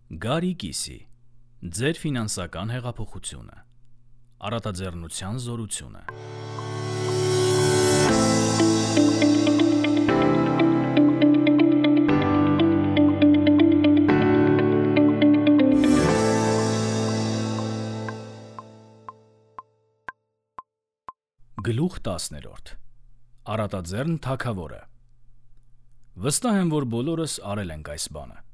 Գարի կիսի, ձեր ֆինանսական հեղափոխությունը, առատաձեռնության զորությունը։ Գլուխ 10. Առատաձեռն թագավորը։ Վստահ եմ, որ բոլորս արել ենք այս բանը։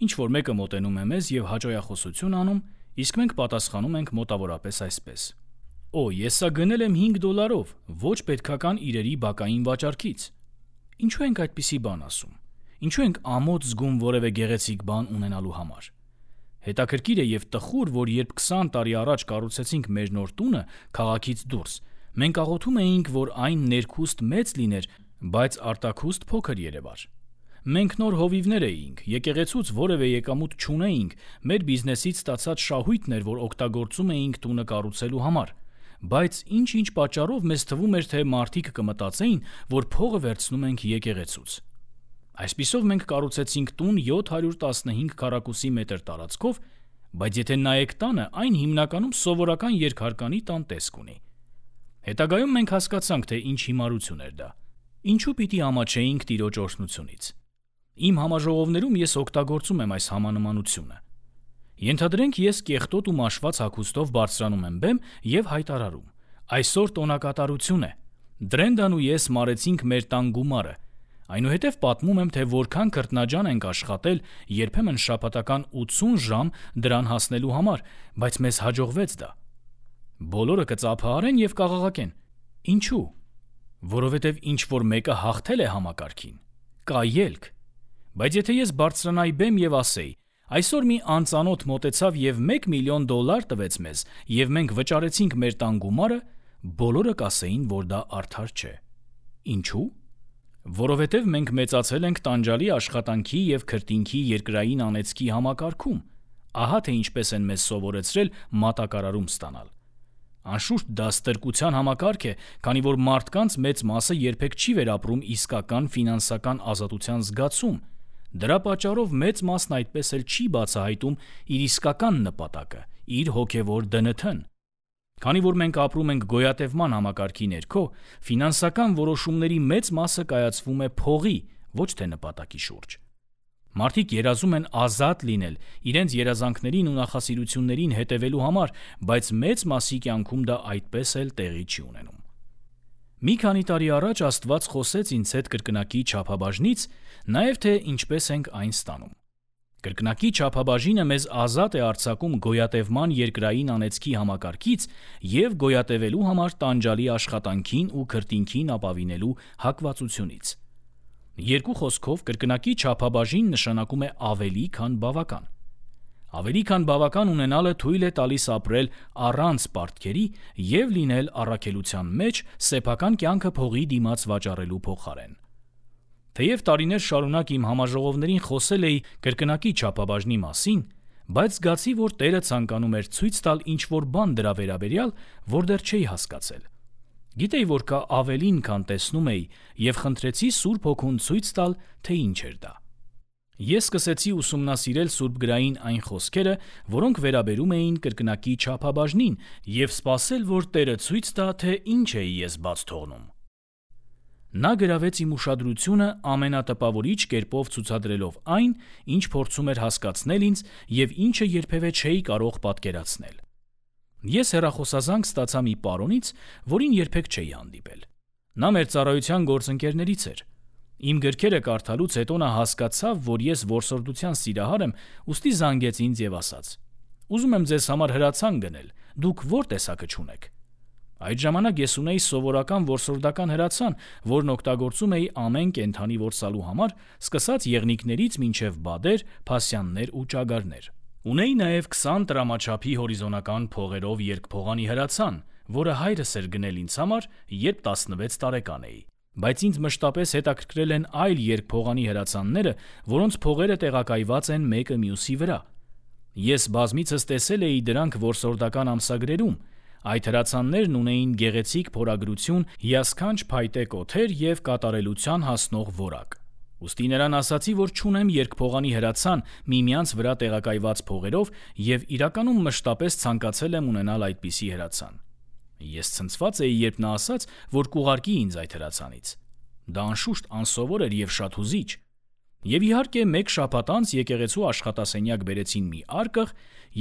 Ինչ-որ մեկը մոտենում է մեզ և հաճոյախոսություն անում, իսկ մենք պատասխանում ենք մոտավորապես այսպես. «Օ, ես սա գնել եմ $5, ոչ պետքական իրերի բակային վաճառքից»։ Ինչու ենք այդպիսի բան ասում։ Ինչու ենք ամոթ զգում որևէ գեղեցիկ բան ունենալու համար։ Հետաքրքիր է և տխուր, որ երբ 20 տարի առաջ կառուցեցինք մեր նոր տունը քաղաքից դուրս, մենք աղոթում էինք, որ այն ներքուստ մեծ լիներ, բայց արտաքուստ փոքր երևար։ Մենք նոր հովիվներ էինք, եկեղեցուց որևէ եկամուտ չունեինք, մեր բիզնեսից ստացած շահույթն էր, որ օգտագործում էինք տունը կառուցելու համար, բայց ինչ-ինչ պատճառով մեզ թվում էր, թե մարդիկ կմտածեին, որ փողը վերցնում ենք եկեղեցուց։ Այսպիսով մենք կառուցեցինք տուն 715 քառակուսի մետր տարածքով, բայց եթե նայեք տանը, այն հիմնականում սովորական երկհարկանի տան տեսք ունի։ Հետագայում մենք հասկացանք, թե ինչ հիմարություն էր դա։ Ինչու պիտի ամաչեինք Տիրոջ օրհնությունից։ Իմ համաժողովներում ես օգտագործում եմ այս համանմանությունը։ Ենթադրենք, ես կեղտոտ ու մաշված հագուստով բարձրանում եմ բեմ և հայտարարում. «Այսօր տոնակատարություն է։ Դրենդան ու ես մարեցինք մեր տան գումարը»։ Այնուհետև պատմում եմ, թե որքան քրտնաջան ենք աշխատել, երբեմն շաբաթական 80 ժամ դրան հասնելու համար, բայց մեզ հաջողվեց դա։ Բոլորը կծափահարեն և կաղաղակեն. Ինչու։ Որովհետև ինչ-որ մեկը հաղթել է համակարգին։ Կա ելք։ Բայց եթե ես բարձրանայի բեմ և ասեի. «Այսօր մի անծանոթ մոտեցավ և $1 միլիոն տվեց մեզ, և մենք վճարեցինք մեր տան գումարը», բոլորը կասեին, որ դա արդար չէ։ Ինչու։ Որովհետև մենք մեծացել ենք տանջալի աշխատանքի և քրտինքի երկրային անեծքի համակարգում։ Ահա թե ինչպես են մեզ սովորեցրել մատակարարում ստանալ։ Անշուշտ դա ստրկության համակարգ է, քանի որ մարդկանց մեծ մասը երբեք չի վերապրում իսկական ֆինանսական ազատության զգացում։ Դրա պատճառով մեծ մասն այդպես էլ չի բացահայտում իր իսկական նպատակը, իր հոգևոր ԴՆԹ-ն։ Քանի որ մենք ապրում ենք գոյատևման համակարգի ներքո, ֆինանսական որոշումների մեծ մասը կայացվում է փողի, ոչ թե նպատակի շուրջ։ Մարդիկ երազում են ազատ լինել, իրենց երազանքներին ու նախասիրություններին հետևելու համար, բայց մեծ մասի կյանքում դա այդպես էլ տեղի չի ունենում։ Մի քանի տարի առաջ Աստված խոսեց ինձ հետ կրկնակի չափաբաժնից, նաև թե ինչպես ենք այն ստանում։ Կրկնակի չափաբաժինը մեզ ազատ է արձակում գոյատևման երկրային անեծքի համակարգից և գոյատևելու համար տանջալի աշխատանքին ու քրտինքին ապավինելու հակվածությունից։ Երկու խոսքով, կրկնակի չափաբաժին նշանակում է ավելի, քան բավական։ Ավելի քան բավական ունենալը թույլ է տալիս ապրել առանց պարտքերի և լինել առաքելության մեջ սեփական կյանքը փողի դիմաց վաճառելու փոխարեն։ Թեև տարիներ շարունակ իմ համաժողովներին խոսել էի կրկնակի չափաբաժնի մասին, բայց զգացի, որ Տերը ցանկանում էր ցույց տալ ինչ-որ բան դրա վերաբերյալ, որ դեռ չէի հասկացել։ Գիտեի, որ կա ավելին, քան տեսնում էի, և խնդրեցի Սուրբ Հոգուն ցույց տալ, թե ինչ էր դա։ Ես սկսեցի ուսումնասիրել սուրբգրային այն խոսքերը, որոնք վերաբերում էին կրկնակի չափաբաժնին, և սպասել, որ Տերը ցույց տա, թե ինչ էի ես բաց թողնում։ Նա գրավեց իմ ուշադրությունը ամենատպավորիչ կերպով ցուցադրելով այն, ինչ փորձում էր հասկացնել ինձ և ինչը երբևէ չէի կարող պատկերացնել։ Ես հեռախոսազանգ ստացա մի պարոնից, որին երբեք չէի հանդիպել։ Նա մեր ծառայության գործընկերներից էր։ Իմ գրքերը կարդալուց հետո նա հասկացավ, որ ես որսորդության սիրահար եմ, ուստի զանգեց ինձ և ասաց. «Ուզում եմ ձեզ համար հրացան գնել, դուք ո՞ր տեսակը չունեք»։ Այդ ժամանակ ես ունեի սովորական որսորդական հրացան, որն օգտագործում էի ամեն կենդանի որսալու համար, սկսած եղնիկներից մինչև բադեր, փասյաններ ու ճագարներ։ Ունեի նաև 20 տրամաչափի հորիզոնական փողերով երկփողանի հրացան, որը հայրս էր գնել ինձ համար, երբ 16 տարեկան էի։ Բայց ինձ մշտապես հետաքրքրել են այլ երկփողանի հրացանները, որոնց փողերը տեղակայված են մեկը մյուսի վրա։ Ես բազմիցս տեսել էի դրանք որսորդական ամսագրերում։ Այդ հրացաններն ունեին գեղեցիկ փորագրություն, հիասքանչ փայտե կոթեր և կատարելության հասնող որակ։ Ուստի նրան ասացի, որ չունեմ երկփողանի հրացան միմյանց վրա տեղակայված փողերով եւ իրականում մշտապես ցանկացել եմ ունենալ այդպիսի հրացան։ Ես ցնցված էի, երբ նա ասաց, որ կուղարկի ինձ այդ հրացանից։ Դա անշուշտ անսովոր էր եւ շատ հուզիչ։ Եվ իհարկե մեկ շաբաթ անց եկեղեցու աշխատասենյակ բերեցին մի արկղ,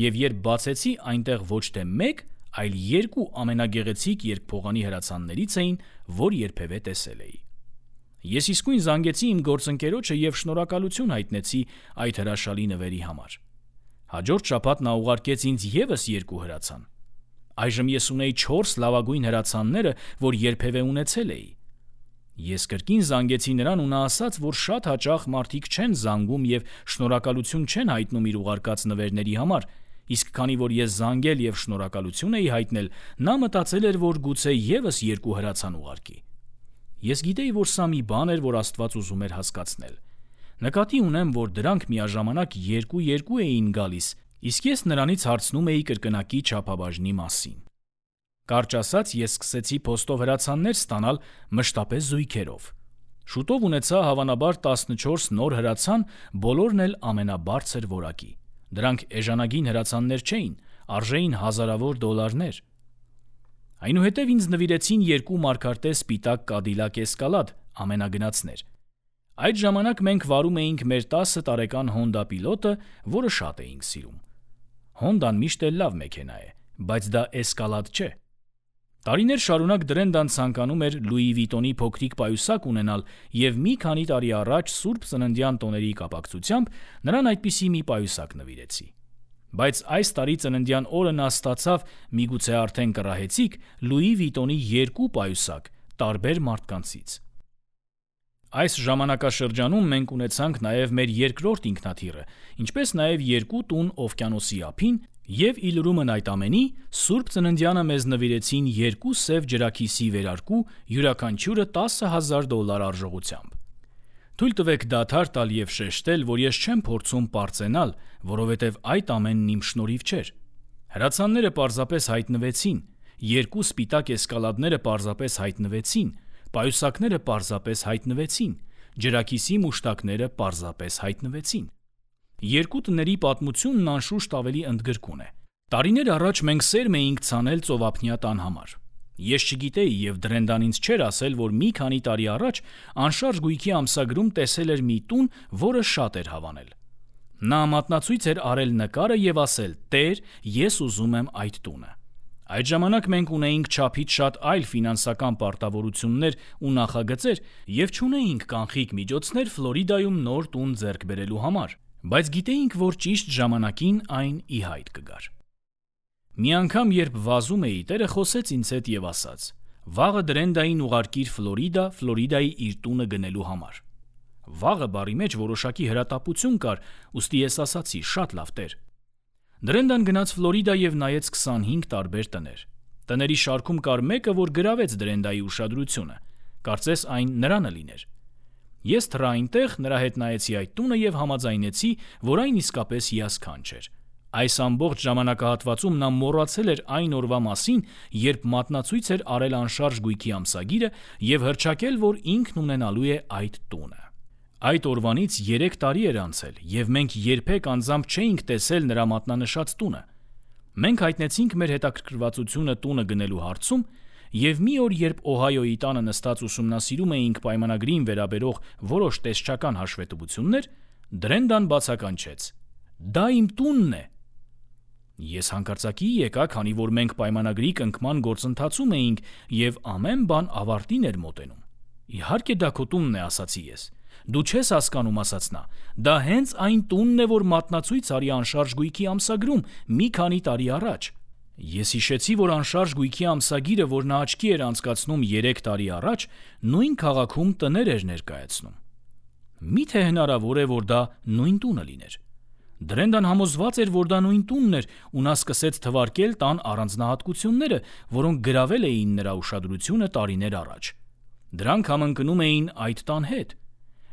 եւ երբ բացեցի, այնտեղ ոչ թե մեկ, այլ երկու ամենագեղեցիկ երկփողանի հրացաններից էին, որ երբևէ տեսել էի։ Ես իսկույն զանգեցի իմ գործընկերոջը եւ շնորհակալություն հայտնեցի այդ հրաշալի նվերի համար։ Հաջորդ շաբաթ նա ուղարկեց ինձ եւս 2 հրացան։ Այժմ ես ունեի 4 լավագույն հրացանները, որ երբևէ ունեցել էի։ Ես կրկին զանգեցի նրան ու նա ասաց, որ շատ հաճախ մարդիկ չեն զանգում եւ շնորհակալություն չեն հայտնում իր ուղարկած նվերների համար, իսկ քանի որ ես զանգել եւ շնորհակալություն էի հայտնել, նա մտածել էր, որ գուցե եւս 2 հրացան ուղարկի։ Ես գիտեի, որ սա մի բան էր, որ Աստված ուզում էր հասկացնել։ Նկատի ունեմ, որ դրանք միաժամանակ 2-2 էին գալիս, իսկ ես նրանից հարցնում էի կրկնակի չափաբաժնի մասին։ Կարճ ասած, ես սկսեցի փոստով հրացաններ ստանալ մշտապես զույգերով։ Շուտով ունեցա հավանաբար 14 նոր հրացան, բոլորն էլ ամենաբարձր որակի։ Դրանք էժանագին հրացաններ չէին, արժեին հազարավոր դոլարներ։ Այնուհետև ինձ նվիրեցին 2 մարգարտե սպիտակ Cadillac Escalade ամենագնացներ։ Այդ ժամանակ մենք վարում էինք մեր 10 տարեկան Honda Pilot-ը, որը շատ էինք սիրում։ Honda-ն միշտ էլ լավ մեքենա է, բայց դա Escalade չէ։ Տարիներ շարունակ Դրենդան ցանկանում էր Louis Vuitton-ի փոքրիկ պայուսակ ունենալ եւ մի քանի տարի առաջ Սուրբ Ծննդյան տոների կապակցությամբ նրան այդպիսի մի պայուսակ նվիրեցի։ Բայց այս տարի ծննդյան օրը նա ստացավ միգուցե արդեն կռահեցիք Louis Vuitton-ի 2 պայուսակ տարբեր մարդկանցից։ Այս ժամանակաշրջանում մենք ունեցանք նաև մեր երկրորդ ինքնաթիռը, ինչպես նաև 2 տուն օվկիանոսի ափին եւ իլրումն այդ ամենի Սուրբ Ծննդյանը մեզ նվիրեցին 2 սև ջրաքիսի վերարկու, յուրաքանչյուրը $10,000 արժողությամբ։ Թույլ տվեք դադար տալ եւ շեշտել, որ ես չեմ փորձում պարծենալ, որովհետեւ այդ ամենն իմ շնորհիվ չէր։ Հրացանները պարզապես հայտնվեցին, 2 սպիտակ էսկալադները պարզապես հայտնվեցին, պայուսակները պարզապես հայտնվեցին, ջրաքիսի մուշտակները պարզապես հայտնվեցին։ 2 տների պատմությունն անշուշտ ավելի ընդգրկուն է։ Տարիներ առաջ մենք սերմ էինք ցանել ծովափնյա տան համար։ Ես չգիտեի եւ Դրենդան ինձ չէր ասել, որ մի քանի տարի առաջ անշարժ գույքի ամսագրում տեսել էր մի տուն, որը շատ էր հավանել։ Նա մատնացույց էր արել նկարը եւ ասել. «Տեր, ես ուզում եմ այդ տունը»։ Այդ ժամանակ մենք ունեինք չափից շատ այլ ֆինանսական պարտավորություններ ու նախագծեր եւ չունեինք կանխիկ միջոցներ Ֆլորիդայում նոր տուն ձեռք բերելու համար, բայց գիտեինք, որ ճիշտ ժամանակին այն ի հայտ կգար։ Մի անգամ, երբ վազում էի, Տերը խոսեց ինձ հետ եւ ասաց. «Վաղը Դրենդային ուղարկիր Ֆլորիդա, Ֆլորիդայի իր տունը գնելու համար»։ Վաղը բառի մեջ որոշակի հրատապություն կար, ուստի ես ասացի. «Շատ լավ, Տեր»։ Դրենդան գնաց Ֆլորիդա եւ նայեց 25 տարբեր տներ։ Տների շարքում կար մեկը, որ գրավեց Դրենդայի ուշադրությունը։ Կարծես այն նրանը լիներ։ Ես թռա այնտեղ, նրա հետ նայեցի այդ տունը եւ համաձայնեցի, որ այն իսկապես հիասքանչ էր։ Այս ամբողջ ժամանակահատվածում նա մոռացել էր այն օրվա մասին, երբ մատնացույց էր արել անշարժ գույքի ամսագիրը եւ հռչակել, որ ինքն ունենալու է այդ տունը։ Այդ օրվանից 3 տարի էր անցել եւ մենք երբեք անձամբ չէինք տեսել նրա մատնանշած տունը։ Մենք հայտնեցինք մեր հետաքրքրվածությունը տունը գնելու հարցում եւ մի օր, երբ Օհայոյի տանը նստած ուսումնասիրում էինք պայմանագրին վերաբերող որոշ տեսչական հաշվետվություններ, Դրենդան բացականչեց. «Դա իմ տունն է»։ Ես հանկարծակի եկա, քանի որ մենք պայմանագրի կնքման գործընթացում էինք եւ ամեն բան ավարտին էր մոտենում։ «Իհարկե դա քո տունն է», ասացի ես։ «Դու չես հասկանում», ասաց նա։ «Դա հենց այն տունն է, որ մատնացույց արի անշարժ գույքի ամսագրում մի քանի տարի առաջ»։ Ես հիշեցի, որ անշարժ գույքի ամսագիրը, որ նա աչքի էր անցկացնում 3 տարի առաջ, նույն քաղաքում տներ էր ներկայացնում։ Միթե հնարավոր է, որ դա նույն տունը լիներ։ Դրենդան համոզված էր, որ դա նույն տունն էր, ու նա սկսեց թվարկել տան առանձնահատկությունները, որոնք գրավել էին նրա ուշադրությունը տարիներ առաջ։ Դրանք համընկնում էին այդ տան հետ։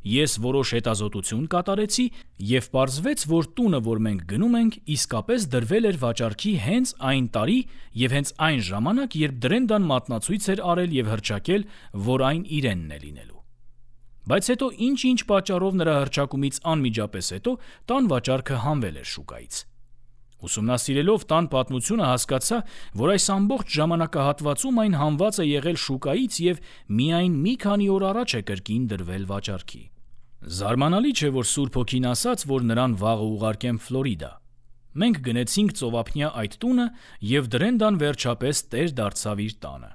Ես որոշ հետազոտություն կատարեցի եւ պարզվեց, որ տունը, որ մենք գնում ենք, իսկապես դրվել էր վաճառքի հենց այն տարի եւ հենց այն ժամանակ, երբ Դրենդան մատնացույց էր արել եւ հռչակել, որ այն իրենն է լինելու։ Բայց հետո ինչ-ինչ պատճառով նրա հռչակումից անմիջապես հետո տան վաճառքը հանվել էր շուկայից։ Ուսումնասիրելով տան պատմությունը հասկացա, որ այս ամբողջ ժամանակահատվածում այն հանված է եղել շուկայից և միայն մի քանի օր առաջ է կրկին դրվել վաճառքի։ Զարմանալի չէ, որ Սուրբ Հոգին ասաց, որ նրան վաղը ուղարկեմ Ֆլորիդա։ Մենք գնեցինք ծովափնյա այդ տունը, և Դրենդան վերջապես տեր դարձավ իր տանը։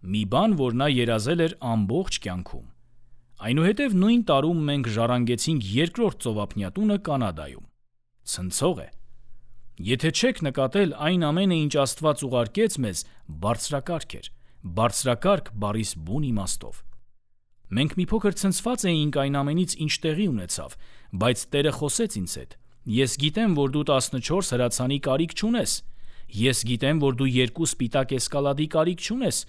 Մի բան, որ նա երազել էր ամբողջ կյանքում։ Այնուհետև նույն տարում մենք ժառանգեցինք երկրորդ ծովափնյա տունը Կանադայում։ Ցնցող է։ Եթե չեք նկատել, այն ամենը, ինչ Աստված ուղարկեց մեզ, բարձրակարգ էր, բարձրակարգ բառիս բուն իմաստով։ Մենք մի փոքր ցնցված էինք այն ամենից, ինչ տեղի ունեցավ, բայց Տերը խոսեց ինձ հետ։ Ես գիտեմ, որ դու 14 հրացանի կարիք չունես։ Ես գիտեմ, որ դու 2 սպիտակ էսկալադի կարիք չունես,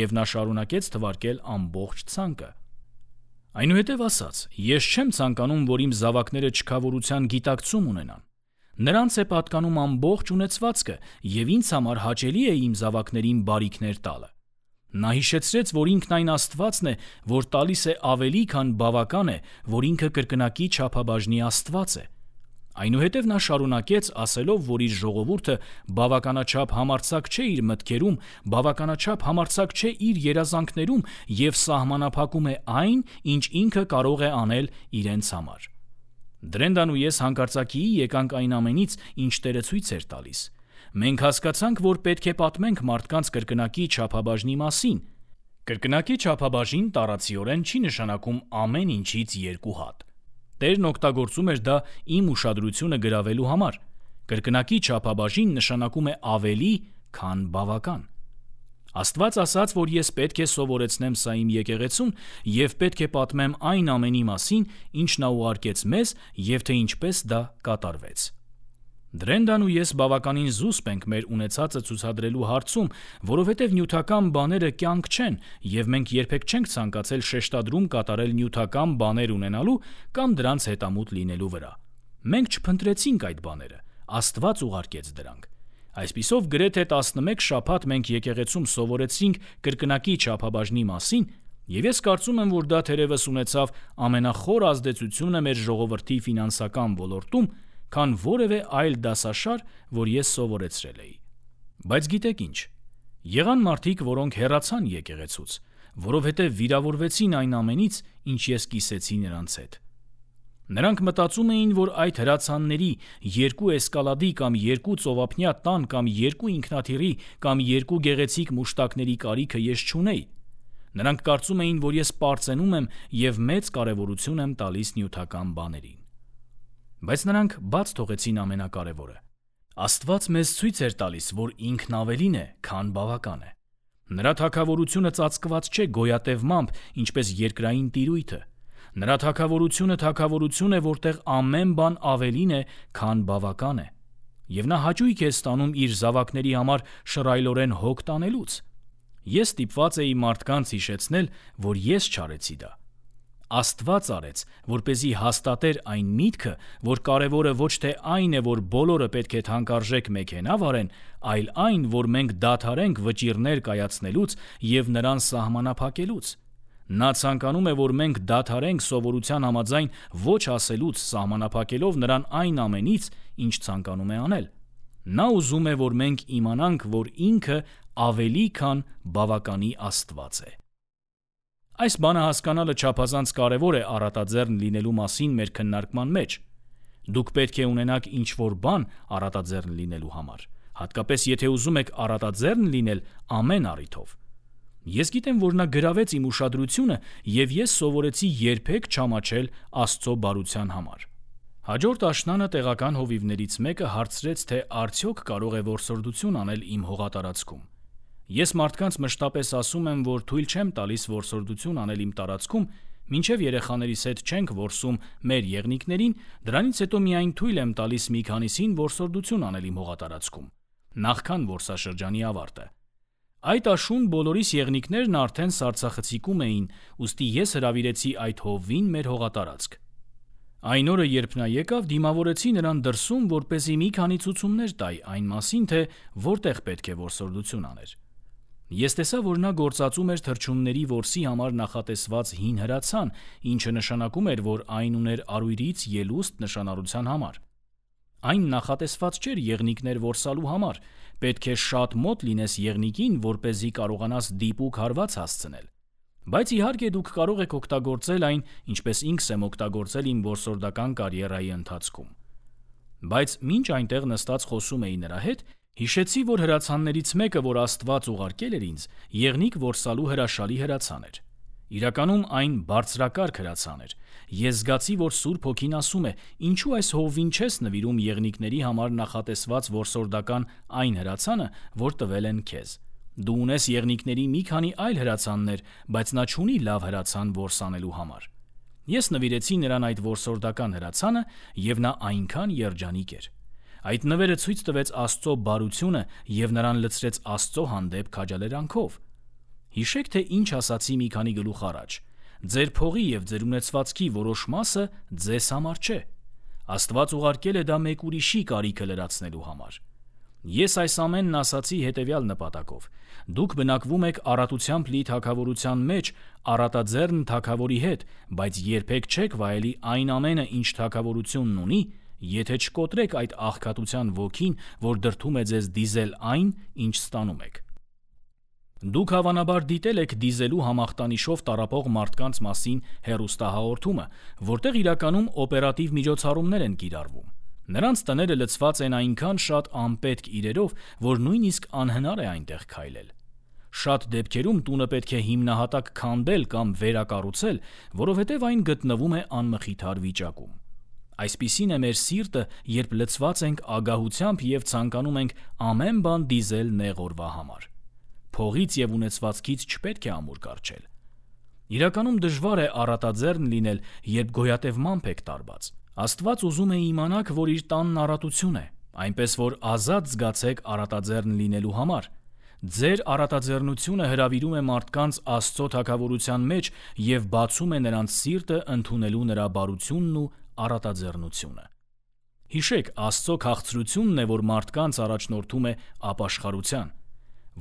և նա շարունակեց թվարկել ամբողջ ցանկը։ Այնուհետև ասաց. ես չեմ ցանկանում, որ իմ զավակները չքավորության գիտակցում ունենան։ Նրանց է պատկանում ամբողջ ունեցվածքը, և ինձ համար հաճելի է իմ զավակներին բարիքներ տալը։ Նա հիշեցրեց, որ ինքն այն Աստվածն է, որ տալիս է ավելի, քան բավական է, որ ինքը կրկնակի չափաբաժնի Աստված է։ Այնուհետև նա շարունակեց, ասելով, որ իր ժողովուրդը բավականաչափ համարձակ չէ իր մտքերում, բավականաչափ համարձակ չէ իր երազանքներում և սահմանափակում է այն, ինչ ինքը կարող է անել իրենց համար։ Դրենդան ու ես հանկարծակիի եկանք այն ամենից, ինչ Տերը ցույց էր տալիս։ Մենք հասկացանք, որ պետք է պատմենք մարդկանց կրկնակի չափաբաժնի մասին։ Կրկնակի չափաբաժին տարածիորեն չի նշանակում ամեն ինչից 2 հատ։ Տերն օգտագործում էր դա իմ ուշադրությունը գրավելու համար։ Կրկնակի չափաբաժին նշանակում է ավելի, քան բավական։ Աստված ասաց, որ ես պետք է սովորեցնեմ սա իմ եկեղեցուն և պետք է պատմեմ այն ամենի մասին, ինչ նա ուղարկեց մեզ և թե ինչպես դա կատարվեց։ Դրենդան ու ես բավականին զուսպ ենք մեր ունեցածը ցուցադրելու հարցում, որովհետև նյութական բաները կյանք չեն, և մենք երբեք չենք ցանկացել շեշտադրում կատարել նյութական բաներ ունենալու կամ դրանց հետամուտ լինելու վրա։ Մենք չփնտրեցինք այդ բաները, Աստված ուղարկեց դրանք։ Այսպիսով գրեթե 11 շաբաթ մենք եկեղեցում սովորեցինք կրկնակի չափաբաժնի մասին, և ես կարծում եմ, որ դա թերևս ունեցավ ամենախոր ազդեցությունը մեր ժողովրդի ֆինանսական ոլորտում, քան որևէ այլ դասաշար, որ ես սովորեցրել էի։ Բայց գիտեք ինչ, եղան մարդիկ, որոնք հեռացան եկեղեցուց, որովհետև վիրավորվեցին այն ամենից, ինչ ես կիսեցի նրանց հետ։ Նրանք մտածում էին, որ այդ հրացանների 2 էսկալադի կամ 2 ծովափնյա տան կամ 2 ինքնաթիռի կամ 2 գեղեցիկ մուշտակների կարիքը ես չունեի։ Նրանք կարծում էին, որ ես պարծենում եմ և մեծ կարևորություն եմ տալիս նյութական բաներին։ Բայց նրանք բաց թողեցին ամենակարևորը։ Աստված մեզ ցույց էր տալիս, որ ինքն ավելին է, քան բավական է։ Նրա թագավորությունը ծածկված չէ գոյատևմամբ, ինչպես երկրային տիրույթը։ Նրա թագավորությունը է, որտեղ ամեն բան ավելին է, քան բավական է։ Եվ նա հաճույք է ստանում իր զավակների համար շռայլորեն հոգ տանելուց։ Ես ստիպված էի մարդկանց հիշեցնել, որ ես չարեցի դա։ Աստված արեց, որպեսզի հաստատեր այն միտքը, որ կարևորը ոչ թե այն է, որ բոլորը պետք է թանկարժեք մեքենա վարեն, այլ այն, որ մենք դադարենք վճիռներ կայացնելուց և նրան սահմանափակելուց։ Նա ցանկանում է, որ մենք դադարենք սովորության համաձայն ոչ ասելուց, սահմանափակելով նրան այն ամենից, ինչ ցանկանում է անել։ Նա ուզում է, որ մենք իմանանք, որ ինքը ավելի քան բավականի Աստված է։ Այս բանը հասկանալը չափազանց կարևոր է առատաձեռն լինելու մասին մեր քննարկման մեջ։ Դուք պետք է ունենաք ինչ-որ բան առատաձեռն լինելու համար, հատկապես եթե ուզում եք առատաձեռն լինել ամեն առիթով։ Ես գիտեմ, որ նա գրավեց իմ ուշադրությունը, և ես սովորեցի երբեք չամաչել Աստծո բարության համար։ Հաջորդ աշնանը տեղական հովիվներից մեկը հարցրեց, թե արդյոք կարող է որսորդություն անել իմ հողատարածքում։ Ես մարդկանց մշտապես ասում եմ, որ թույլ չեմ տալիս որսորդություն անել իմ տարածքում, մինչև երեխաներիս հետ չենք որսում մեր եղնիկներին, դրանից հետո միայն թույլ եմ տալիս մի քանիսին որսորդություն անել իմ հողատարածքում, նախքան որսաշրջանի ավարտը։ Այդ աշուն բոլորիս եղնիկներն արդեն սառցախցիկում էին, ուստի ես հրավիրեցի այդ հովվին մեր հողատարածք։ Այն օրը, երբ նա եկավ, դիմավորեցի նրան դրսում, որպեսզի մի քանի ցուցումներ տայ այն մասին, թե որտեղ պետք է որսորդություն աներ։ Ես տեսա, որ նա գործածում էր թռչունների որսի համար նախատեսված հին հրացան, ինչը նշանակում էր, որ այն ուներ արույրից ելուստ նշանառության համար։ Այն նախատեսված չէր եղնիկներ որսալու համար, պետք է շատ մոտ լինես եղնիկին, որպեսզի կարողանաս դիպուկ հարված հասցնել։ Բայց իհարկե դուք կարող եք օգտագործել այն, ինչպես ինքս եմ օգտագործել իմ որսորդական կարիերայի ընթացքում։ Բայց մինչ այնտեղ նստած խոսում էի նրա հետ, հիշեցի, որ հրացաններից մեկը, որ Աստված ուղարկել էր ինձ, եղնիկ որսալու հրաշալի հրացան էր։ Իրականում այն բարձրակարգ հրացան էր։ Ես զգացի, որ Սուրբ Հոգին ասում է. «Ինչու այս հովվին չես նվիրում եղնիկների համար նախատեսված որսորդական այն հրացանը, որ տվել են քեզ։ Դու ունես եղնիկների մի քանի այլ հրացաններ, բայց նա չունի լավ հրացան որսանելու համար»։ Ես նվիրեցի նրան այդ որսորդական հրացանը, եւ նա այնքան երջանիկ էր։ Այդ նվերը ցույց տվեց Աստծո բարությունը եւ նրան լցրեց Աստծո հանդեպ քաջալերանքով։ Հիշեք, թե ինչ ասացի մի քանի գլուխ առաջ. ձեր փողի եւ ձեր ունեցվածքի որոշ մասը ձեզ համար չէ։ Աստված ուղարկել է դա մեկ ուրիշի կարիքը լրացնելու համար։ Ես այս ամենն ասացի հետեւյալ նպատակով. դուք բնակվում եք առատությամբ լի թագավորության մեջ առատաձեռն թագավորի հետ, բայց երբեք չեք վայելի այն ամենը, ինչ թագավորությունն ունի, եթե չկոտրեք այդ աղքատության ոգին, որ դրդում է ձեզ դիզել այն, ինչ ստանում եք։ Դուք հավանաբար դիտել եք դիզելու համախտանիշով տառապող մարդկանց մասին հեռուստահաղորդումը, որտեղ իրականում օպերատիվ միջոցառումներ են կիրառվում։ Նրանց տները լցված են այնքան շատ անպետք իրերով, որ նույնիսկ անհնար է այնտեղ քայլել։ Շատ դեպքերում տունը պետք է հիմնահատակ քանդել կամ վերակառուցել, որովհետև այն գտնվում է անմխիթար վիճակում։ Այսպիսին է մեր սիրտը, երբ լցված ենք ագահությամբ եւ ցանկանում ենք ամեն բան դիզել նեղ օրվա համար։ Փողից եւ ունեցվածքից չպետք է ամուր կառչել։ Իրականում դժվար է առատաձեռն լինել, երբ գոյատևմամբ եք տարված։ Աստված ուզում է իմանաք, որ իր տանն առատություն է, այնպես որ ազատ զգացեք առատաձեռն լինելու համար։ Ձեր առատաձեռնությունը հրավիրում է մարդկանց Աստծո թագավորության մեջ եւ բացում է նրանց սիրտը ընդունելու նրա բարությունն ու առատաձեռնությունը։ Հիշեք, Աստծո քաղցրությունն է, որ մարդկանց առաջնորդում է ապաշխարության,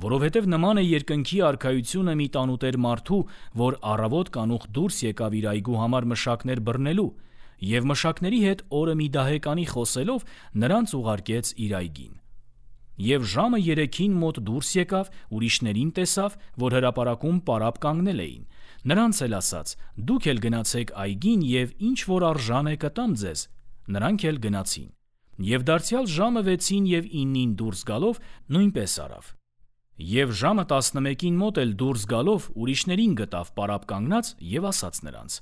որովհետև նման է երկնքի արքայությունը մի տանուտեր մարդու, որ առավոտ կանուխ դուրս եկավ իր այգու համար մշակներ բռնելու, եւ մշակների հետ օրը մի դահեկանի խոսելով նրանց ուղարկեց իր այգին։ Եվ ժամը 3-ին մոտ դուրս եկավ, ուրիշներին տեսավ, որ հրապարակում պարապ կանգնել էին։ Նրանց էլ ասաց. «Դուք էլ գնացեք այգին եւ ինչ որ արժան է կտամ ձեզ»։ Նրանք էլ գնացին։ Եվ դարձյալ ժամը 6-ին եւ 9-ին դուրս գալով նույնպես արավ։ Եվ ժամը 11-ին մոտ էլ դուրս գալով ուրիշներին գտավ պարապ կանգնած եւ ասաց նրանց.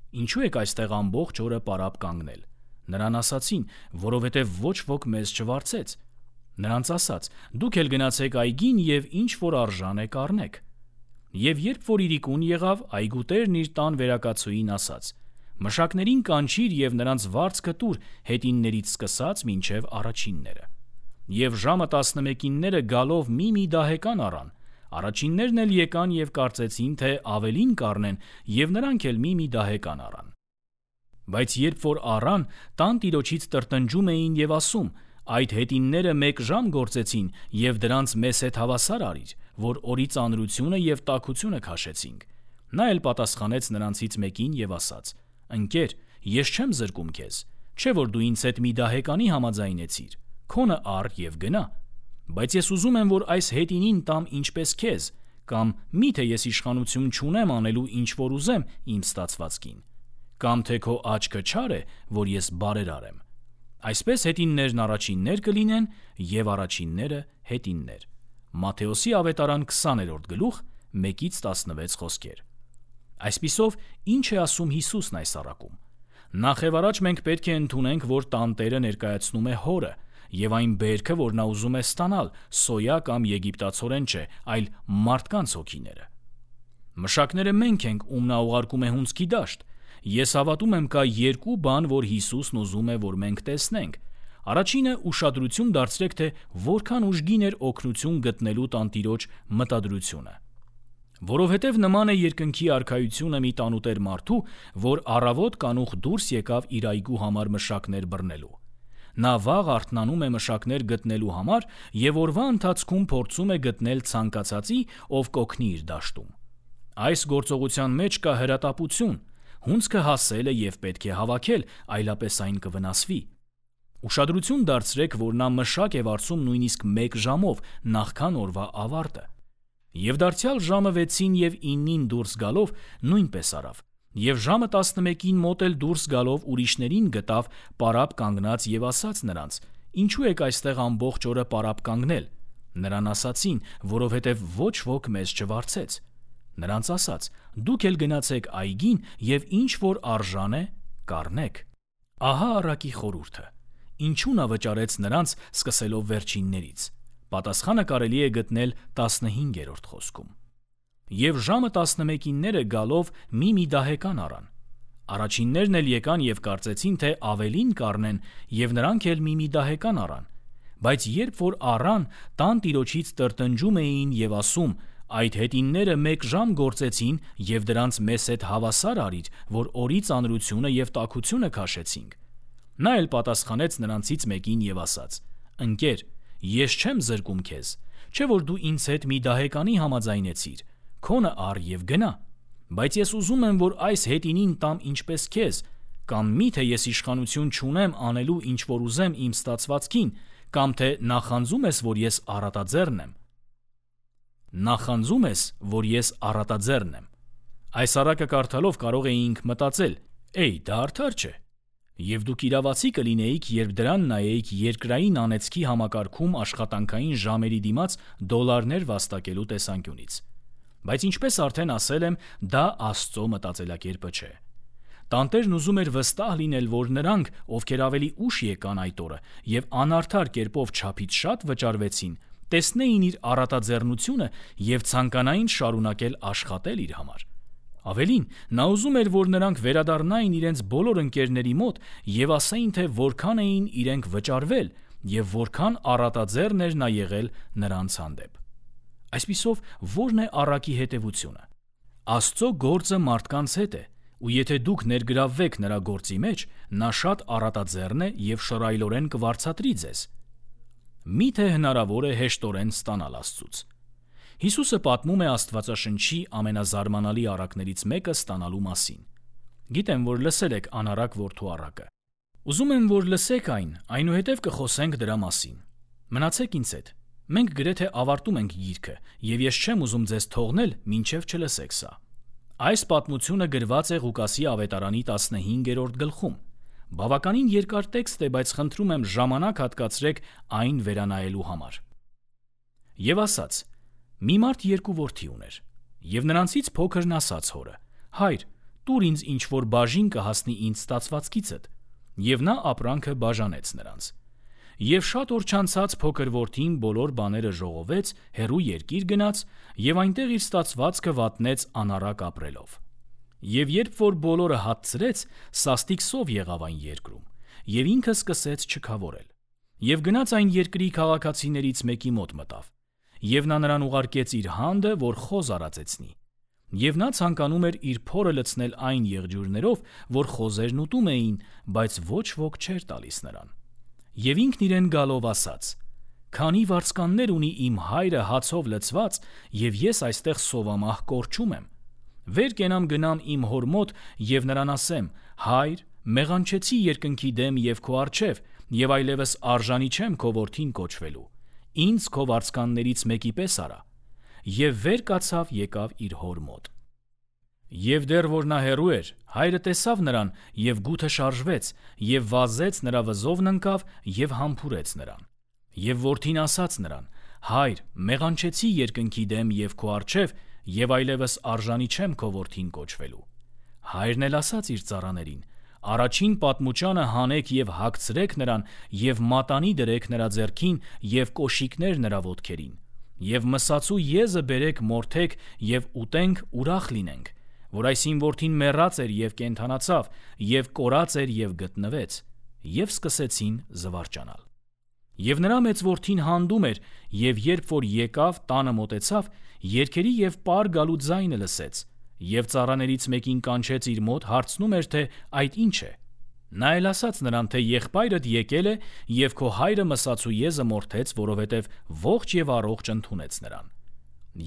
«Ինչու եք այստեղ ամբողջ օրը պարապ կանգնել»։ Նրան ասացին. «Որովհետեւ ոչ ոք մեզ չվարձեց»։ Նրանց ասաց. «Դուք էլ գնացեք այգին եւ ինչ որ արժան է կառնեք»։ Եվ երբ որ իրիկուն եղավ, այգուտերն իր տան վերակացուին ասաց. «Մշակներին կանչիր եւ նրանց վարձքը տուր հետիններից սկսած մինչեւ առաջինները»։ Եվ ժամը 11-ինները գալով մի դահեկան առան։ Առաջիններն էլ եկան եւ կարծեցին, թե ավելին կառնեն, եւ նրանք էլ մի դահեկան առան։ Բայց երբ որ առան, տան տիրոջից տրտնջում էին եւ ասում. «Այդ հետինները 1 ժամ գործեցին եւ դրանց մեզ հետ հավասար արիր, որ օրի ծանրությունը եւ տաքությունը քաշեցինք»։ Նա էլ պատասխանեց նրանցից մեկին եւ ասաց. «Ընկեր, ես չեմ զրկում քեզ, չէ՞ որ դու ինձ հետ մի դահեկանի համաձայնեցիր, քոնը առ եւ գնա։ Բայց ես ուզում եմ, որ այս հետինին տամ ինչպես քեզ, կամ միթե ես իշխանություն չունեմ անելու ինչ որ ուզեմ իմ ստացվածքին, կամ թե քո աչքը չար է, որ ես բարերար եմ։ Այսպես հետիններն առաջիններ կլինեն եւ առաջինները հետիններ»։ Մատթեոսի ավետարան 20-րդ գլուխ 1-16 խոսքեր։ Այսպիսով, ինչ է ասում Հիսուսն այս առակում։ Նախ եւ առաջ մենք պետք է ընդունենք, որ տանտերը ներկայացնում է հորը, եւ այն բերքը, որ նա ուզում է ստանալ, սոյա կամ եգիպտացորեն չէ, այլ մարդկանց հոգիները։ Մշակները մենք ենք, ում նա ուղարկում է հունձքի դաշտ։ Ես հավատում եմ, կա 2 բան, որ Հիսուսն ուզում է, որ մենք տեսնենք։ Առաջինը ուշադրություն դարձրեք, թե որքան ուժգին էր օգնություն գտնելու տանտիրոջ մտադրությունը։ Որովհետև նման է երկնքի արքայությունը մի տանուտեր մարդու, որ առավոտ կանուխ դուրս եկավ իր այգու համար մշակներ բռնելու։ Նա վաղ արթնանում է մշակներ գտնելու համար եւ օրվա ընթացքում փորձում է գտնել ցանկացածի, ով կօգնի իր դաշտում։ Այս գործողության մեջ կա հրատապություն, հունձքը հասել է եւ պետք է հավաքել, այլապես այն կվնասվի։ Ուշադրություն դարձրեք, որ նա մշակ է վարձում նույնիսկ 1 ժամով նախքան օրվա ավարտը։ Եվ դարձյալ ժամը 6-ին եւ 9-ին դուրս գալով նույնպես արավ։ Եվ ժամը 11-ին մոտ էլ դուրս գալով ուրիշներին գտավ պարապ կանգնած եւ ասաց նրանց. «Ինչու եք այստեղ ամբողջ օրը պարապ կանգնել»։ Նրան ասացին, որովհետեւ ոչ ոք մեզ չվարձեց։ Նրանց ասաց. «Դուք էլ գնացեք այգին եւ ինչ որ արժան է, կառնեք»։ Ահա առակի խորհուրդը։ Ինչու նա վճարեց նրանց սկսելով վերջիններից։ Պատասխանը կարելի է գտնել 15-րդ խոսքում։ Եվ ժամը 11-ինները գալով մի դահեկան առան։ Առաջիններն էլ եկան եւ կարծեցին, թե ավելին կառնեն, եւ նրանք էլ մի դահեկան առան։ Բայց երբ որ առան, տան տիրոջից տրտնջում էին եւ ասում. «Այդ հետինները 1 ժամ գործեցին եւ դրանց մեզ հետ հավասար արիր, որ օրի ծանրությունը եւ տաքությունը քաշեցինք»։ Նա էլ պատասխանեց նրանցից մեկին եւ ասաց. «Ընկեր, ես չեմ զրկում քեզ, չէ՞ որ դու ինձ հետ մի դահեկանի համաձայնեցիր, քոնը առ եւ գնա։ Բայց ես ուզում եմ, որ այս հետինին տամ ինչպես քեզ, կամ միթե ես իշխանություն չունեմ անելու ինչ որ ուզեմ իմ ստացվածքին, կամ թե նախանձում ես, որ ես առատաձեռն եմ։ Նախանձում ես, որ ես առատաձեռն եմ։ Այս առակը կարդալով կարող էինք մտածել. «Էй, դա արդար չէ»։ Եվ դուք իրավացի կլինեիք, երբ դրան նայեիք երկրային անեծքի համակարգում աշխատանքային ժամերի դիմաց դոլարներ վաստակելու տեսանկյունից։ Բայց ինչպես արդեն ասել եմ, դա Աստծո մտածելակերպը չէ։ Տանտերն ուզում էր վստահ լինել, որ նրանք, ովքեր ավելի ուշ եկան այդ օրը եւ անարդար կերպով չափից շատ վճարվեցին, տեսնեին իր առատաձեռնությունը եւ ցանկանային շարունակել աշխատել իր համար։ Ավելին, նա ուզում էր, որ նրանք վերադառնային իրենց բոլոր ընկերների մոտ եւ ասեին, թե որքան էին իրենք վճարվել եւ որքան առատաձեռն էր նա եղել նրանց հանդեպ։ Այսպիսով, ո՞րն է առակի հետևությունը։ Աստծո գործը մարդկանց հետ է, ու եթե դուք ներգրավվեք նրա գործի մեջ, նա շատ առատաձեռն է եւ շռայլորեն կվարձատրի ձեզ։ Միթե հնարավոր է հեշտորեն ստանալ Աստծուց։ Հիսուսը պատմում է Աստվածաշնչի ամենազարմանալի առակներից մեկը ստանալու մասին։ Գիտեմ, որ լսել եք անառակ որդու առակը։ Ուզում եմ, որ լսեք այն, այնուհետև կխոսենք դրա մասին։ Մնացեք ինձ հետ։ Մենք գրեթե ավարտում ենք գիրքը, եւ ես չեմ ուզում ձեզ թողնել, մինչև չլսեք սա։ Այս պատմությունը գրված է Ղուկասի ավետարանի 15-րդ գլխում։ Բավականին երկար տեքստ է, բայց խնդրում եմ ժամանակ հատկացրեք այն վերանայելու համար։ Եվ ասաց. մի մարդ 2 որդի ուներ, եւ նրանցից փոքրն ասաց հորը. «Հայր, տուր ինձ ինչ որ բաժին կհասնի ինձ ստացվածքիցդ»։ Եվ նա ապրանքը բաժանեց նրանց։ Եվ շատ օր չանցած փոքր որդին բոլոր բաները ժողովեց, հեռու երկիր գնաց եւ այնտեղ իր ստացվածքը վատնեց անառակ ապրելով։ Եվ երբ որ բոլորը հացրեց, սաստիկ սով եղավ այն երկրում, եւ ինքը սկսեց չքավորել։ Եվ գնաց այն երկրի քաղաքացիներից մեկի մոտ մտավ, եւ նա նրան ուղարկեց իր հանդը, որ խոզ արածեցնի։ Եվ նա ցանկանում էր իր փորը լցնել այն եղջյուրներով, որ խոզերն ուտում էին, բայց ոչ ոք չէր տալիս նրան։ Եվ ինքն իրեն գալով ասաց. «Քանի վարձկաններ ունի իմ հայրը հացով լցված, եւ ես այստեղ սովամահ կորչում եմ։ Վեր կենամ գնամ իմ հոր մոտ եւ նրան ասեմ. հայր, մեղանչեցի երկնքի դեմ եւ քո առջև, եւ այլևս արժանի չեմ քո որդին կոչվելու։ Ինձ քո վարձկաններից մեկի պես արա»։ Եվ վեր կացավ եկավ իր հոր մոտ։ Եվ դեռ որ նա հեռու էր, հայրը տեսավ նրան եւ գութը շարժվեց եւ վազեց նրա վզովն ընկավ եւ համբուրեց նրան։ Եվ որդին ասաց նրան. «Հայր, մեղանչեցի երկնքի դեմ եւ քո առջև, եւ այլևս արժանի չեմ քո որդին կոչվելու»։ Հայրն էլ ասաց իր ծառաներին. «Առաջին պատմուճանը հանեք եւ հագցրեք նրան եւ մատանի դրեք նրա ձեռքին եւ կոշիկներ նրա ոտքերին։ Եվ մսացու եզը բերեք մորթեք եւ ուտենք ուրախ լինենք, որ այս իմ որդին մեռած էր եւ կենդանացավ եւ կորած էր եւ գտնվեց»։ Եվ սկսեցին զվարճանալ։ Եվ նրա մեծ որդին հանդում էր, եւ երբ որ եկավ, տանը մոտեցավ, երգերի եւ պար գալու ձայնը լսեց, եւ ծառաներից մեկին կանչեց իր մոտ, հարցնում էր, թե այդ ինչ է։ Նա էլ ասաց նրան, թե եղբայրդ եկել է և քո հայրը մսացու եզը մորթեց, որովհետև ողջ և առողջ ընդունեց նրան։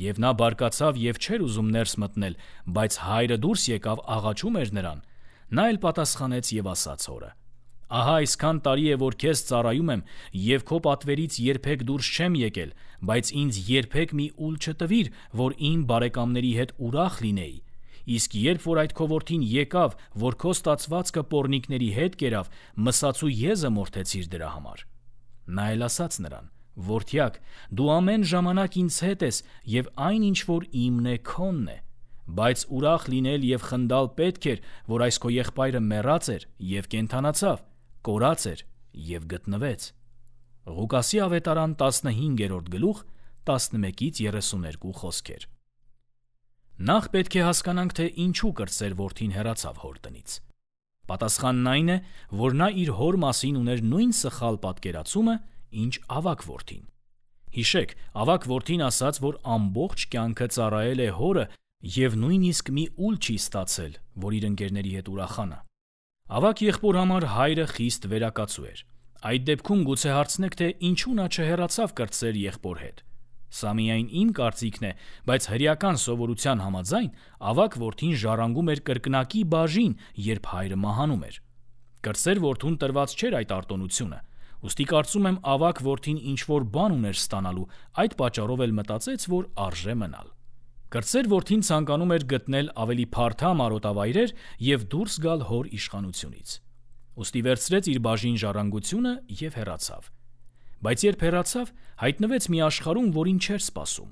Եվ նա բարկացավ և չէր ուզում ներս մտնել, բայց հայրը դուրս եկավ, աղաչում էր նրան։ Նա էլ պատասխանեց և ասաց հորը. «Ահա այսքան տարի է, որ քեզ ծառայում եմ, և քո պատվերից երբեք դուրս չեմ եկել, բայց ինձ երբեք մի ուլ չտվիր, որ իմ բարեկամների հետ ուրախ լինեի։ Իսկ երբ որ այդ քո որդին եկավ, որ քո ստացվածքը պոռնիկների հետ կերավ, մսացու եզը մորթեցիր դրա համար»։ Նա էլ ասաց նրան. «Որդյակ, դու ամեն ժամանակ ինձ հետ ես, և այն ինչ որ իմն է, քոնն է։ Բայց ուրախ լինել և խնդալ պետք էր, որ այս քո եղբայրը մեռած էր և կենդանացավ, կորած էր և գտնվեց»։ Ղուկասի ավետարան 15-րդ գլուխ 11-32 խոսքեր։ Նախ պետք է հասկանանք, թե ինչու կրտսեր որդին հեռացավ հոր տնից։ Պատասխանն այն է, որ նա իր հոր մասին ուներ նույն սխալ պատկերացումը, ինչ ավագ որդին։ Հիշեք, ավագ որդին ասաց, որ ամբողջ կյանքը ծառայել է հորը և նույնիսկ մի ուլ չի ստացել, որ իր ընկերների հետ ուրախանա։ Ավագ եղբոր համար հայրը խիստ վերակացու էր։ Այդ դեպքում գուցե հարցնեք, թե ինչու նա չհեռացավ կրտսեր եղբոր հետ։ Սա միայն իմ կարծիքն է, բայց հրեական սովորության համաձայն ավագ որդին ժառանգում էր կրկնակի բաժին, երբ հայրը մահանում էր։ Կրտսեր որդուն տրված չէր այդ արտոնությունը, ուստի կարծում եմ ավագ որդին ինչ-որ բան ուներ ստանալու, այդ պատճառով էլ մտածեց, որ արժե մնալ։ Կրտսեր որդին ցանկանում էր գտնել ավելի փարթամ արոտավայրեր և դուրս գալ հոր իշխանությունից։ Ուստի վերցրեց իր բաժին ժառանգությունը և հեռացավ։ Բայց երբ հեռացավ, հայտնվեց մի աշխարհում, որին չէր սպասում։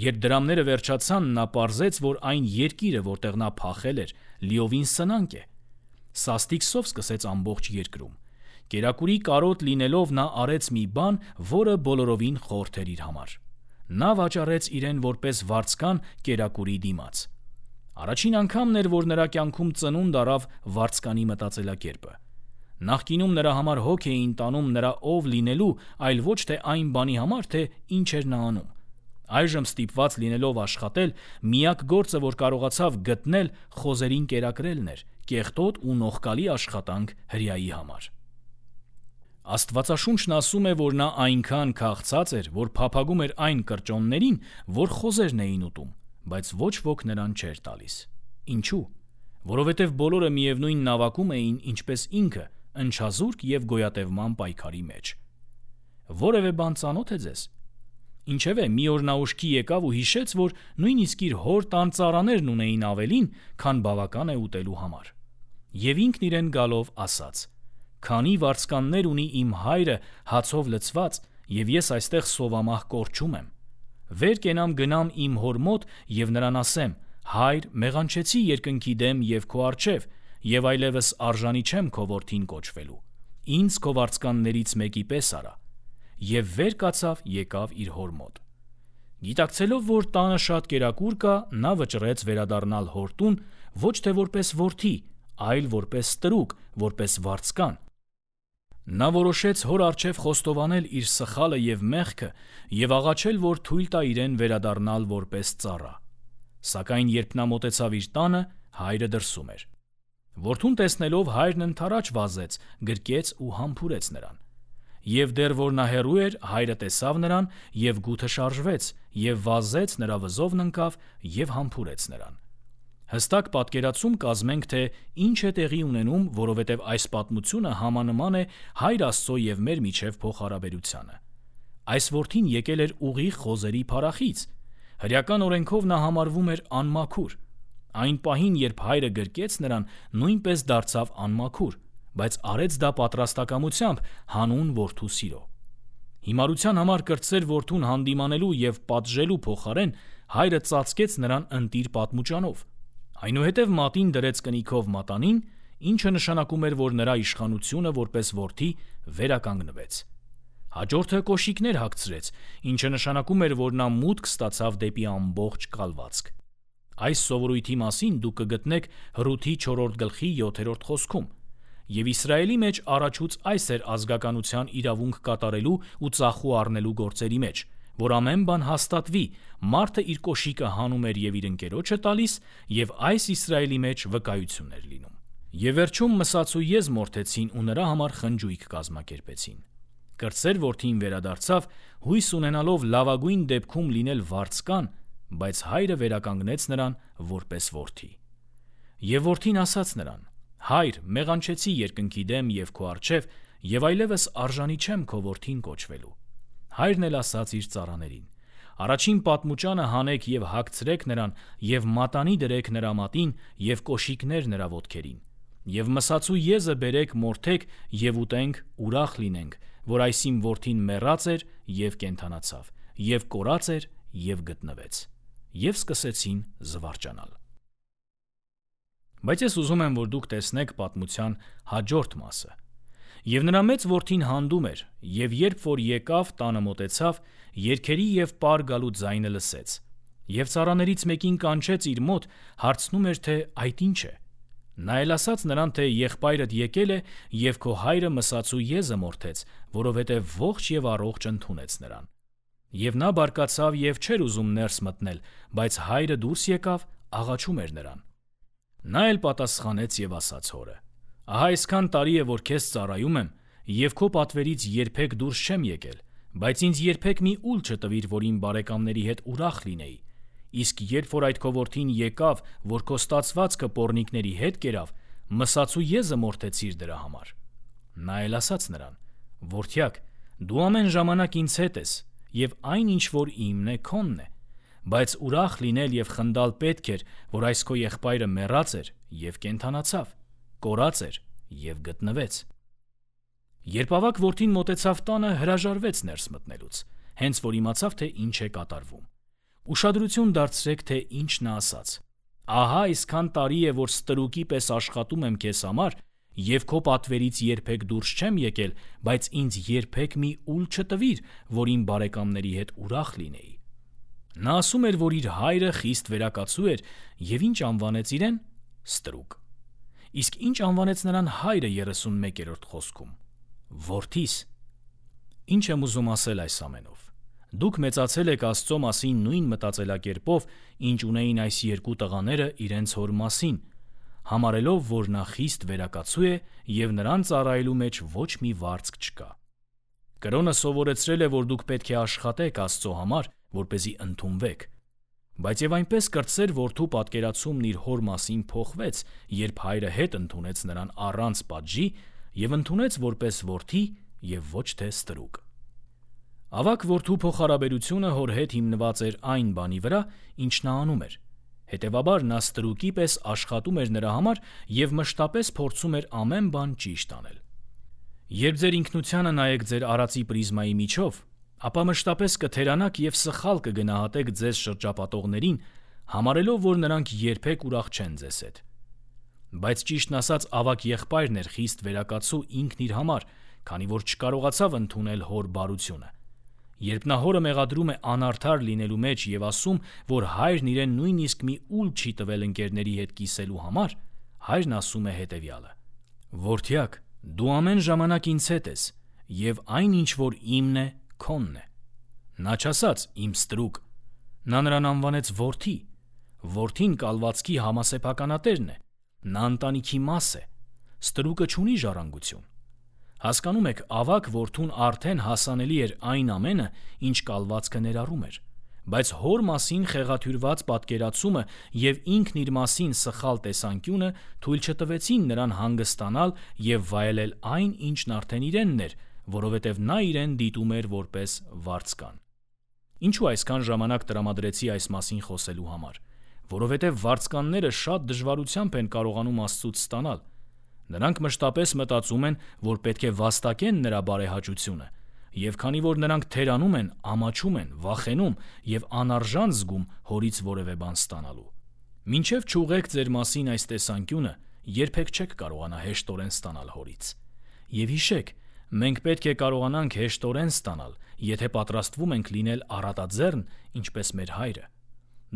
Երբ դրամները վերջացան, նա պարզեց, որ այն երկիրը, որտեղ նա փախել էր, լիովին սնանկ է։ Սաստիկ սով սկսեց ամբողջ երկրում։ Կերակուրի կարոտ լինելով նա արեց մի բան, որը բոլորովին խորթ էր իր համար։ Նա վաճառեց իրեն որպես վարձկան կերակուրի դիմաց։ Առաջին անգամն էր, որ նրա կյանքում ծնունդ առավ վարձկանի մտածելակերպը։ Նախկինում նրա համար հոգ էին տանում նրա ով լինելու, այլ ոչ թե այն բանի համար, թե ինչ էր նա անում։ Այժմ ստիպված լինելով աշխատել, միակ գործը, որ կարողացավ գտնել, խոզերին կերակրելն էր, կեղտոտ ու նողկալի աշխատանք հրեայի համար։ Աստվածաշունչն ասում է, որ նա այնքան քաղցած էր, որ փափագում էր այն կրճոններին, որ խոզերն էին ուտում, բայց ոչ ոք նրան չէր տալիս։ Ինչու՞։ Որովհետև բոլորը միևնույն նավակում էին, ինչպես ինքը, ընչազուրկ և գոյատևման պայքարի մեջ։ Որևէ բան ծանոթ է ձեզ։ Ինչևէ, մի օր նա ուշքի եկավ ու հիշեց, որ նույնիսկ իր հոր տան ծառաներն ունեին ավելին, քան բավական է ուտելու համար։ Եվ ինքն իրեն գալով ասաց. «Քանի վարձկաններ ունի իմ հայրը հացով լցված, և ես այստեղ սովամահ կորչում եմ։ Վեր կենամ գնամ իմ հոր մոտ և նրան ասեմ. հայր, մեղանչեցի երկնքի դեմ և քո առջև, և այլևս արժանի չեմ քո որդին կոչվելու։ Ինձ քո վարձկաններից մեկի պես արա»։ Եվ վեր կացավ եկավ իր հոր մոտ։ Գիտակցելով, որ տանը շատ կերակուր կա, նա վճռեց վերադառնալ հոր տուն ոչ թե որպես որդի, այլ որպես ստրուկ, որպես վարձկան։ Նա որոշեց հոր առջև խոստովանել իր սխալը և մեղքը և աղաչել, որ թույլ տա իրեն վերադառնալ որպես ծառա։ Սակայն երբ նա մոտեցավ իր տանը, հայրը դրսում էր։ Որդուն տեսնելով հայրն ընդառաջ վազեց, գրկեց ու համբուրեց նրան։ Եվ դեռ որ նա հեռու էր, հայրը տեսավ նրան և գութը շարժվեց, և վազեց նրա վզովն ընկավ և համբուրեց նրան։ Հստակ պատկերացում կազմենք, թե ինչ է տեղի ունենում, որովհետև այս պատմությունը համանման է Հայր Աստծո և մեր միջև փոխհարաբերությանը։ Այս որդին եկել էր ուղիղ խոզերի փարախից։ Հրեական օրենքով նա համարվում էր անմաքուր։ Այն պահին, երբ հայրը գրկեց նրան, նույնպես դարձավ անմաքուր, բայց արեց դա պատրաստակամությամբ հանուն որդու սիրո։ Հիմարության համար կրտսեր որդուն հանդիմանելու և պատժելու փոխարեն հայրը ծածկեց նրան ընտիր պատմուճանով։ Այնուհետև մատին դրեց կնիքով մատանին, ինչը նշանակում էր, որ նրա իշխանությունը որպես որդի վերականգնվեց։ Հաջորդը կոշիկներ հագցրեց, ինչը նշանակում էր, որ նա մուտք ստացավ դեպի ամբողջ կալվածք։ Այս սովորույթի մասին դուք կգտնեք Հռութի 4-րդ գլխի 7-րդ խոսքում։ Եվ Իսրայելի մեջ առաջուց այս էր ազգականության իրավունք կատարելու ու ծախու առնելու գործերի մեջ, որ ամեն բան հաստատվի, մարդը իր կոշիկը հանում էր և իր ընկերոջը տալիս, և այս Իսրայելի մեջ վկայություն էր լինում։ Եվ վերջում մսացու եզ մորթեցին ու նրա համար խնջույք կազմակերպեցին։ Կրտսեր որդին վերադարձավ, հույս ունենալով լավագույն դեպքում լինել վարձկան, բայց հայրը վերականգնեց նրան որպես որդի։ Եվ որդին ասաց նրան. «Հայր, մեղանչեցի երկնքի դեմ և քո առջև, և այլևս արժանի չեմ քո որդին կոչվելու»։ Հայրն էլ ասաց իր ծառաներին. «Առաջին պատմուճանը հանեք և հագցրեք նրան, և մատանի դրեք նրա մատին և կոշիկներ նրա ոտքերին, և մսացու եզը բերեք մորթեք և ուտենք, ուրախ լինենք, որ այս իմ որդին մեռած էր և կենդանացավ, և կորած էր և գտնվեց»։ Եվ սկսեցին զվարճանալ։ Բայց ես ուզում եմ, որ դուք տեսնեք պատմության հաջորդ մասը։ Եվ նրա մեծ որդին հանդում էր, և երբ որ եկավ, տանը մոտեցավ, երգերի և պար գալու ձայնը լսեց։ Եվ ծառաներից մեկին կանչեց իր մոտ, հարցնում էր, թե այդ ինչ է։ Նա էլ ասաց նրան, թե եղբայրդ եկել է, և քո հայրը մսացու եզը մորթեց, որովհետև ողջ և առողջ ընդունեց նրան։ Եվ նա բարկացավ և չէր ուզում ներս մտնել, բայց հայրը դուրս եկավ, աղաչում էր նրան։ Նա էլ պատասխանեց և ասաց հորը. «Ահա այսքան տարի է, որ քեզ ծառայում եմ, և քո պատվերից երբեք դուրս չեմ եկել, բայց ինձ երբեք մի ուլ չտվիր, որ իմ բարեկամների հետ ուրախ լինեի։ Իսկ երբ որ այդ քո որդին եկավ, որ քո ստացվածքը պոռնիկների հետ կերավ, մսացու եզը մորթեցիր դրա համար»։ Նա էլ ասաց նրան. «Որդյակ, դու ամեն ժամանակ ինձ հետ ես, և այն ինչ որ իմն է, քոնն է, բայց ուրախ լինել և խնդալ պետք էր, որ այս քո եղբայրը մեռած էր և կենդանացավ, կորած էր և գտնվեց»։ Երբ ավագ որդին մոտեցավ տանը, հրաժարվեց ներս մտնելուց, հենց որ իմացավ, թե ինչ է կատարվում։ Ուշադրություն դարձրեք, թե ինչ նա ասաց. «Ահա այսքան տարի է, որ ստրուկի պես աշխատում եմ քեզ համար, և քո պատվերից երբեք դուրս չեմ եկել, բայց ինձ երբեք մի ուլ չտվիր, որ իմ բարեկամների հետ ուրախ լինեի»։ Նա ասում էր, որ իր հայրը խիստ վերակացու էր, և ինչ անվանեց իրեն. ստրուկ։ Իսկ ինչ անվանեց նրան հայրը 31-րդ խոսքում. որդիս։ Ինչ եմ ուզում ասել այս ամենով։ Դուք մեծացել եք Աստծո մասին նույն մտածելակերպով, ինչ ունեին այս երկու տղաները իրենց հոր մասին, համարելով, որ նա խիստ վերակացու է և նրան ծառայելու մեջ ոչ մի վարձք չկա։ Կրոնը սովորեցրել է, որ դուք պետք է աշխատեք Աստծո համար, որպեսզի ընդունվեք։ Բայց եւ այնպես կրտսեր որդու պատկերացումն իր հոր մասին փոխվեց, երբ հայրը հետ ընդունեց նրան առանց պատժի և ընդունեց որպես որդի և ոչ թե ստրուկ։ Ավագ որդու փոխհարաբերությունը հոր հետ հիմնված էր այն բանի վրա, ինչ նա անում էր։ Հետևաբար նա ստրուկի պես աշխատում էր նրա համար և մշտապես փորձում էր ամեն բան ճիշտ անել։ Երբ ձեր ինքնությանը նայեք ձեր արածի պրիզմայի միջով, ապա մշտապես կթերանաք և սխալ կգնահատեք ձեզ շրջապատողներին, համարելով, որ նրանք երբեք ուրախ չեն ձեզ հետ։ Բայց ճիշտն ասած, ավագ եղբայրն էր խիստ վերակացու ինքն իր համար, քանի որ չկարողացավ ընդունել հոր բարությունը։ Երբ նա հորը մեղադրում է անարդար լինելու մեջ և ասում, որ հայրն իրեն նույնիսկ մի ուլ չի տվել ընկերների հետ կիսելու համար, հայրն ասում է հետևյալը. «Որդյակ, դու ամեն ժամանակ ինձ հետ ես, և այն ինչ որ իմն է, քոնն է»։ Նա չասաց «իմ ստրուկ», նա նրան անվանեց որդի։ Որդին կալվածքի համասեփականատերն է, նա ընտանիքի մաս է։ Ստրուկը չունի ժառանգություն։ Հասկանում եք, ավագ որդուն արդեն հասանելի էր այն ամենը, ինչ կալվածքը ներառում էր, բայց հոր մասին խեղաթյուրված պատկերացումը և ինքն իր մասին սխալ տեսանկյունը թույլ չտվեցին նրան հանգստանալ և վայելել այն, ինչն արդեն իրենն էր, որովհետև նա իրեն դիտում էր որպես վարձկան։ Ինչու այսքան ժամանակ տրամադրեցի այս մասին խոսելու համար, որովհետև վարձկանները շատ դժվարությամբ են կարողանում Աստծուց ստանալ։ Նրանք մշտապես մտածում են, որ պետք է վաստակեն նրա բարեհաճությունը, և քանի որ նրանք թերանում են, ամաչում են, վախենում և անարժան զգում հորից որևէ բան ստանալու։ Մինչև չուղեք ձեր մասին այս տեսանկյունը, երբեք չեք կարողանա հեշտորեն ստանալ հորից։ Եվ հիշեք, մենք պետք է կարողանանք հեշտորեն ստանալ, եթե պատրաստվում ենք լինել առատաձեռն, ինչպես մեր հայրը։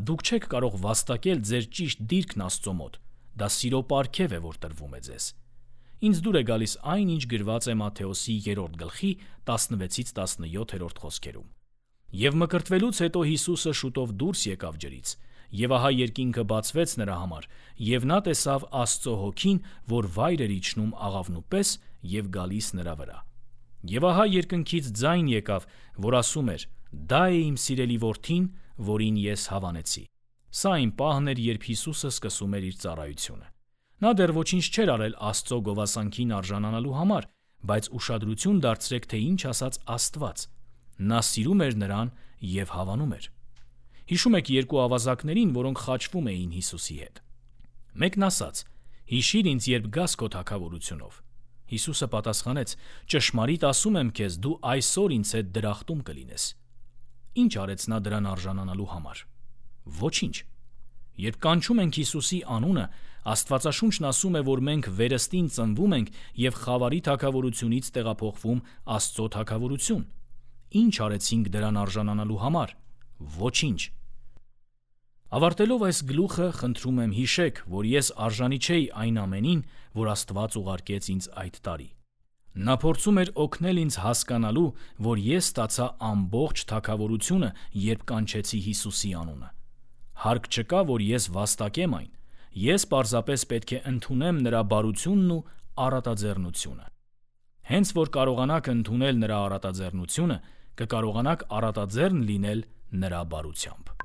Դուք չեք կարող վաստակել ձեր ճիշտ դիրքն Աստծո մոտ, դա սիրո պարգև է, որ տրվում է ձեզ։ Ինձ դուր է գալիս այն, ինչ գրված է Մատթեոսի 3-րդ գլխի 16-17 խոսքերում. «Եվ մկրտվելուց հետո Հիսուսը շուտով դուրս եկավ ջրից, Եվ ահա երկինքը բացվեց նրա համար, եւ նա տեսավ Աստծո հոգին, որ վայր էր իջնում աղավնու պես եւ գալիս նրա վրա։ Եվ ահա երկնքից ձայն եկավ, որ ասում էր. «Դա է իմ սիրելի որդին, որին ես հավանեցի»։ Սա այն պահն էր, երբ Հիսուսը սկսում էր իր ծառայությունը։ Նա դեռ ոչինչ չէր արել Աստծո գովասանքին արժանանալու համար, բայց ուշադրություն դարձրեք, թե ինչ ասաց Աստված։ Նա սիրում էր նրան եւ հավանում էր։ Հիշում եք երկու ավազակներին, որոնք խաչվում էին Հիսուսի հետ։ Մեկն ասաց. «Հիշիր ինձ, երբ գաս քո թագավորությունով»։ Հիսուսը պատասխանեց. «Ճշմարիտ ասում եմ քեզ, դու այսօր ինձ հետ դրախտում կլինես»։ Ինչ արեց նա դրան արժանանալու համար։ Ոչինչ։ Երբ կանչում ենք Հիսուսի անունը, Աստվածաշունչն ասում է, որ մենք վերստին ծնվում ենք եւ խավարի թագավորությունից տեղափոխվում Աստծո թագավորություն։ Ինչ արեցինք դրան արժանանալու համար։ Ոչինչ։ Ավարտելով այս գլուխը, խնդրում եմ հիշեք, որ ես արժանի չէի այն ամենին, որ Աստված ուղարկեց ինձ այդ տարի։ Նա փորձում էր օգնել ինձ հասկանալու, որ ես ստացա ամբողջ թագավորությունը, երբ կանչեցի Հիսուսի անունը։ Հարկ չկա, որ ես վաստակեմ այն։ Ես պարզապես պետք է ընդունեմ նրա բարությունն ու առատաձեռնությունը։ Հենց որ կարողանաք ընդունել նրա առատաձեռնությունը, կկարողանաք առատաձեռն լինել նրա բարությամբ։